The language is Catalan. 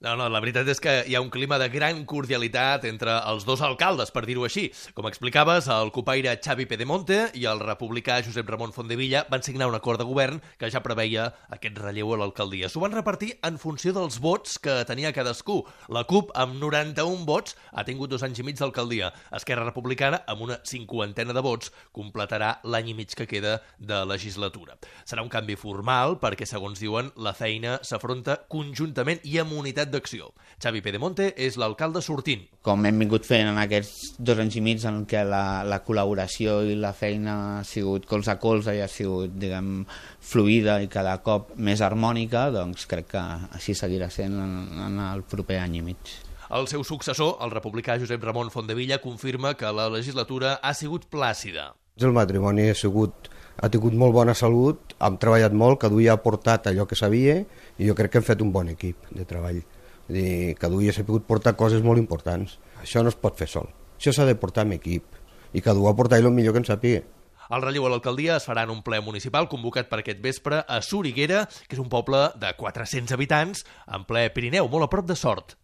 No, la veritat és que hi ha un clima de gran cordialitat entre els dos alcaldes, per dir-ho així. Com explicaves, el copaire Xavi Pedemonte i el republicà Josep Ramon Fondevilla van signar un acord de govern que ja preveia aquest relleu a l'alcaldia. S'ho van repartir en funció dels vots que tenia cadascú. La CUP, amb 91 vots, ha tingut 2 anys i mig d'alcaldia. Esquerra Republicana, amb una 50ena de vots, completarà l'any i mig que queda de legislatura. Serà un canvi formal perquè, segons diuen, la feina s'afronta conjuntament i amb unitat d'acció. Xavi Pedemonte és l'alcalde sortint. Com hem vingut fent en aquests 2 anys i mig en què la col·laboració i la feina ha sigut colze a colze i ha sigut, diguem, fluida i cada cop més harmònica, doncs crec que així seguirà sent en el proper any i mig. El seu successor, el republicà Josep Ramon Fondevilla, confirma que la legislatura ha sigut plàcida. El matrimoni ha tingut molt bona salut, hem treballat molt, cada dia ha portat allò que sabia i jo crec que hem fet un bon equip de treball. Cada dia s'ha pogut portar coses molt importants. Això no es pot fer sol. Això s'ha de portar amb equip i cada un ha portat el millor que en sàpiga. El relleu a l'alcaldia es farà en un ple municipal convocat per aquest vespre a Soriguera, que és un poble de 400 habitants en ple Pirineu, molt a prop de Sort.